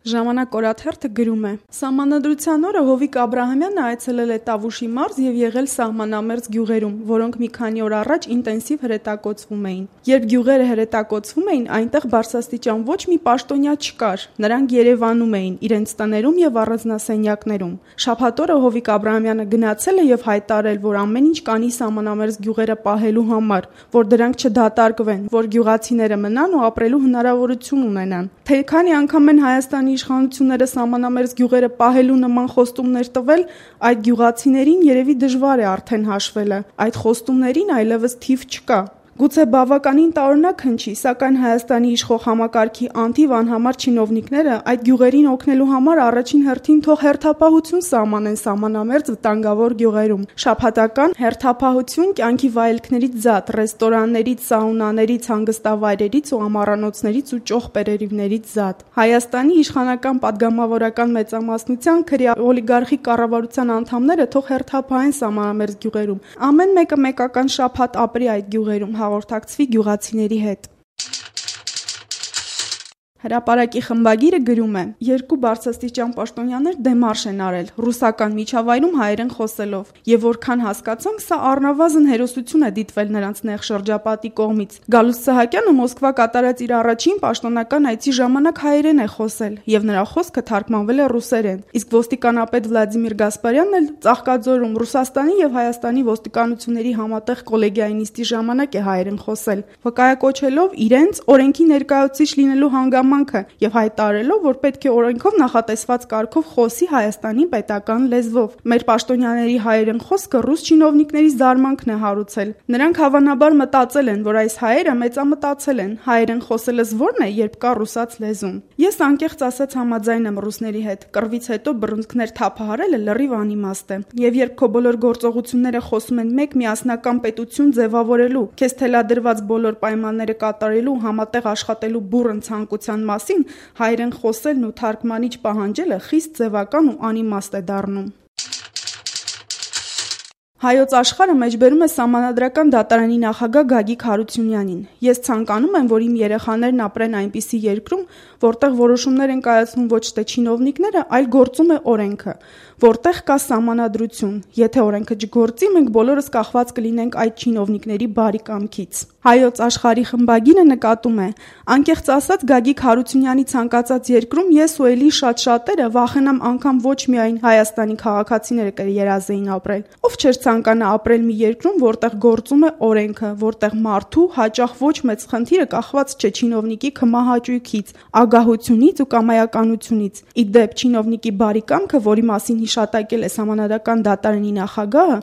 Ժամանակ օրաթերթը գրում է. Սահմանադրության օրը Հովիկ Աբրահամյանը այցելել է Տավուշի մարզ եւ եղել սահմանամերձ գյուղերում, որոնք մի քանի օր առաջ ինտենսիվ հրետակոծվում էին։ Երբ գյուղերը հրետակոծվում էին, այնտեղ բարձրաստիճան ոչ մի պաշտոնյա չկար։ Նրանք Երևանում էին, իրենց տներում եւ առանձնասենյակներում։ Շաբաթ օրը Հովիկ Աբրահամյանը գնացել է եւ հայտարարել, որ ամեն ինչ կանի սահմանամերձ գյուղերը պահելու համար, որ դրանք չդատարկվեն, որ գյուղացիները մնան ու ապրելու հնարավորություն ունենան։ Թե քանի անգամ են Հայաստանի իշխանությունները սահմանամերձ գյուղերը պահելու նման խոստումներ տվել, այդ գյուղացիներին երևի դժվար է արդեն հաշվելը։ Այդ խոստումներին այլևս թիվ չկա։ Գուցե բավականին տարօրինակ հնչի, սակայն Հայաստանի իշխող համակարգի անթիվ անհամար չինովնիկները այդ գյուղերին օգնելու համար առաջին հերթին թող հերթապահություն սահմանեն սահմանամերձ վտանգավոր գյուղերում։ Շաբաթական հերթապահություն կյանքի վայելքներից զատ, ռեստորաններից, սաունաներից, հանգստավայրերից ու ամառանոցներից ու ճոխպերերիվներից զատ։ Հայաստանի իշխանական պատգամավորական մեծամասնության քրեա օլիգարխի կառավարության անդամները թող հերթապահեն սահմանամերձ գյուղերում։ Ամեն մեկը մեկական շաբաթ ապրի այդ գյուղերում, հաղորդակցվի գյուղացիների հետ։ Հրապարակի խմբագիրը գրում է. երկու բարձրաստիճան պաշտոնյաներ դեմարշ են արել ռուսական միջավայրում հայերեն խոսելով, եւ որքան հասկացանք, սա առնվազն հերոսություն է դիտվել նրանց նեղ շրջապատի կողմից։ Գալուստ Սահակյանը Մոսկվա կատարած իր առաջին պաշտոնական այցի ժամանակ հայերեն է խոսել, եւ նրա խոսքը թարգմանվել է ռուսերեն։ Իսկ ոստիկանապետ Վլադիմիր Գասպարյանն էլ Ծաղկաձորում Ռուսաստանի եւ Հայաստանի ոստիկանությունների համատեղ կոլեգիայի նիստի ժամանակ է հայերեն խոսել, վկայակոչելով իրենց օրենքի ներկայացուցիչ լինելու հանգամանքը եւ հայտարարելով, որ պետք է օրենքով նախատեսված կարգով խոսի Հայաստանի պետական լեզվով։ Մեր պաշտոնյաների հայերեն խոսքը ռուս չինովնիկների զարմանքն է հարուցել։ Նրանք հավանաբար մտածել են, որ այս հայերը մեծամտածել են, հայերեն խոսելս ո՞րն է, երբ կա ռուսաց լեզուն։ Ես անկեղծ ասած համաձայն եմ ռուսների հետ։ Կռվից հետո բռունցքներ թափահարելը լրիվ անիմաստ է։ Եվ երբ քո բոլոր գործողությունները խոսում են մեկ միասնական պետություն ձևավորելու, քեզ թելադրված բոլոր պայմանները կատարելու, համատեղ աշխատելու բուռն ցանկության մասին, հայերեն խոսելն ու թարգմանիչ պահանջելը խիստ ձևական ու անիմաստ է դառնում։ Հայոց աշխարհը մեջբերում է Սահմանադրական դատարանի նախագահ Գագիկ Հարությունյանին։ Ես ցանկանում եմ, որ իմ երեխաներն ապրեն այնպիսի երկրում, որտեղ որոշումներ են կայացնում ոչ թե չինովնիկները, այլ գործում է օրենքը, որտեղ կա սահմանադրություն։ Եթե օրենքը չգործի, մենք բոլորս կախված կլինենք այդ չինովնիկների բարի կամքից։ Հայոց աշխարհի խմբագիրը նկատում է. անկեղծ ասած Գագիկ Հարությունյանի ցանկացած երկրում ես ու էլի շատ-շատերը վախենամ անգամ ոչ միայն Հայաստանի քաղաքացիները կերազեին ապրել, ով չէր ցանկանա ապրել մի երկրում, որտեղ գործում է օրենքը, որտեղ մարդու հաճախ ոչ մեծ խնդիրը կախված չէ չինովնիկի քմահաճույքից, ագահությունից ու կամայականությունից։ Ի դեպ չինովնիկի բարի կամքը, որի մասին հիշատակել է Սահմանադրական դատարանի նախագահը,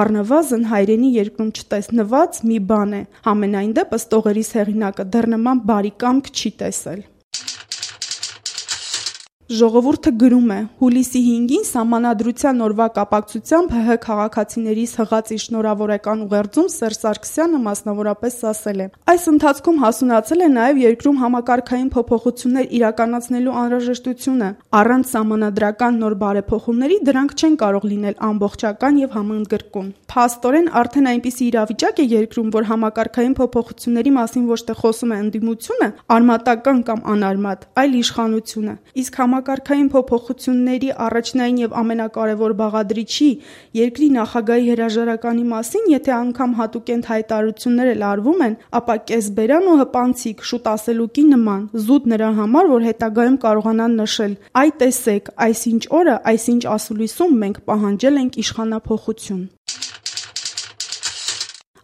առնվազն հայրենի երկրում չտեսնված մի բան է։ Համենայն դեպս տողերիս հեղինակը դեռ նման բարի կամք չի տեսել։ Ժողովուրդը գրում է. հուլիսի 5-ին Սահմանադրության օրվա կապակցությամբ ՀՀ քաղաքացիներից հղած իր շնորհավորական ուղերձում Սերժ Սարգսյանը մասնավորապես ասել է. այս ընթացքում հասունացել է նաև երկրում համակարգային փոփոխություններ իրականացնելու անհրաժեշտությունը։ Առանց սահմանադրական նոր բարեփոխումների դրանք չեն կարող լինել ամբողջական եւ համընդգրկուն։ Փաստորեն արդեն այնպիսի իրավիճակ է երկրում, որ համակարգային փոփոխությունների մասին ոչ թե խոսում է ընդդիմությունը, արմատական կամ անարմատ, այլ իշխանությունը։ Իսկ համակարգային փոփոխությունների առաջնային եւ ամենակարևոր բաղադրիչի երկրի նախագահի հրաժարականի մասին, եթե անգամ հատուկենտ հայտարարություններ էլ արվում են, ապա կեսբերան ու հպանցիկ, շուտ ասելուկի նման, զուտ նրա համար, որ հետագայում կարողանան նշել. «Այ տեսեք, այսինչ օրը, այսինչ ասուլիսում մենք պահանջել ենք իշխանափոխություն»։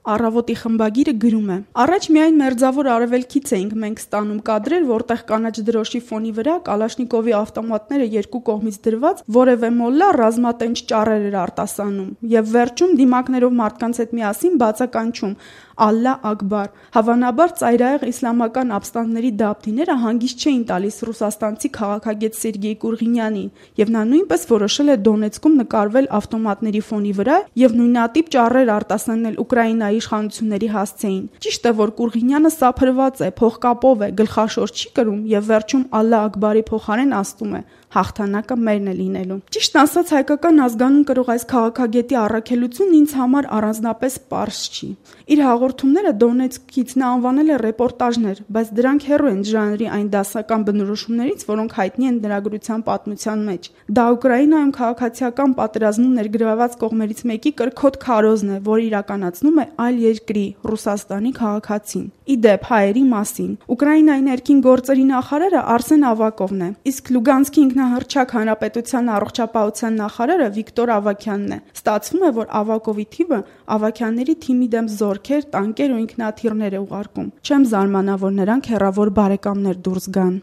Առավոտի խմբագիրը գրում է. առաջ միայն մերձավոր արևելքից էինք մենք ստանում կադրեր, որտեղ կանաչ դրոշի ֆոնի վրա Կալաշնիկովի ավտոմատները երկու կողմից դրված որևէ մոլլա ռազմատենչ ճառեր էր արտասանում եւ վերջում դիմակներով մարդկանց հետ միասին բացականչում «Ալլա Ակբար»։ Հավանաբար ծայրահեղ իսլամական ապստամբների դապտիները հանգիստ չէին տալիս ռուսաստանցի քաղաքագետ Սերգեյ Կուրղինյանին, եւ նա նույնպես որոշել է Դոնեցկում նկարվել ավտոմատների ֆոնի վրա եւ նույնատիպ ճառեր արտասանել Ուկրաինայի հայ իշխանությունների հասցեին։ Ճիշտ է, որ Կուրղինյանը սափրված է, փողկապով է, գլխաշոր չի կրում եւ վերջում Ալլա Ակբարի փոխարեն ասում է. հաղթանակը մերն է լինելու։ Ճիշտ ասած, հայկական ազգանուն կրող այս քաղաքագետի առաքելությունն ինձ համար առանձնապես պարզ չի։ Իր հաղորդումները Դոնեցկից նա անվանել է ռեպորտաժներ, բայց դրանք հեռու են ժանրի այն դասական բնորոշումներից, որոնք հայտնի են լրագրության պատմության մեջ։ Դա Ուկրաինայում քաղաքացիական պատերազմում ներգրավված կողմերից մեկի կրքոտ քարոզն է, որը իրականացնում է այլ երկրի՝ Ռուսաստանի քաղաքացին։ Ի դեպ, հայերի մասին Ուկրաինայի ներքին գործերի նախարարը Արսեն Ավակովն է, իսկ Լուգանսկի ինքնահռչակ հանրապետության առողջապահության նախարարը Վիկտոր Ավակյանն է։ Ստացվում է, որ Ավակովի թիմը Ավակյանների թիմի դեմ զորքեր, տանկեր ու ինքնաթիռներ է ուղարկում։ Չեմ զարմանա, որ նրանք հեռավոր բարեկամներ դուրս գան։